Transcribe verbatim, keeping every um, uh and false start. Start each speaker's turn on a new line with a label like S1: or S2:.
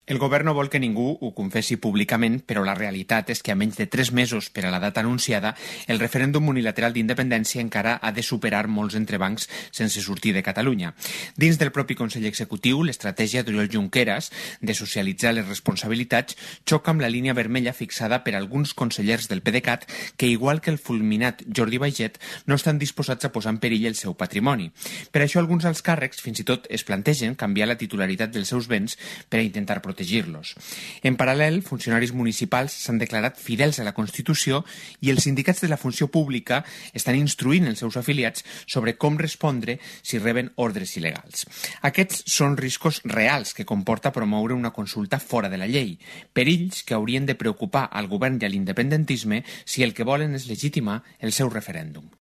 S1: El govern no vol que ningú ho confessi públicament, però la realitat és que a menys de tres mesos per a la data anunciada, el referèndum unilateral d'independència encara ha de superar molts entrebancs sense sortir de Catalunya. Dins del propi Consell Executiu, l'estratègia d'Oriol Junqueras de socialitzar les responsabilitats xoca amb la línia vermella fixada per alguns consellers del PDeCAT que, igual que el fulminat Jordi Baiget, no estan disposats a posar en perill el seu patrimoni. Per això alguns alts càrrecs fins i tot es plantegen canviar la titularitat dels seus béns per a intentar protegir protegir-los. En paral·lel, funcionaris municipals s'han declarat fidels a la Constitució i els sindicats de la funció pública estan instruint els seus afiliats sobre com respondre si reben ordres il·legals. Aquests són riscos reals que comporta promoure una consulta fora de la llei, perills que haurien de preocupar al govern i a l'independentisme si el que volen és legitimar el seu referèndum.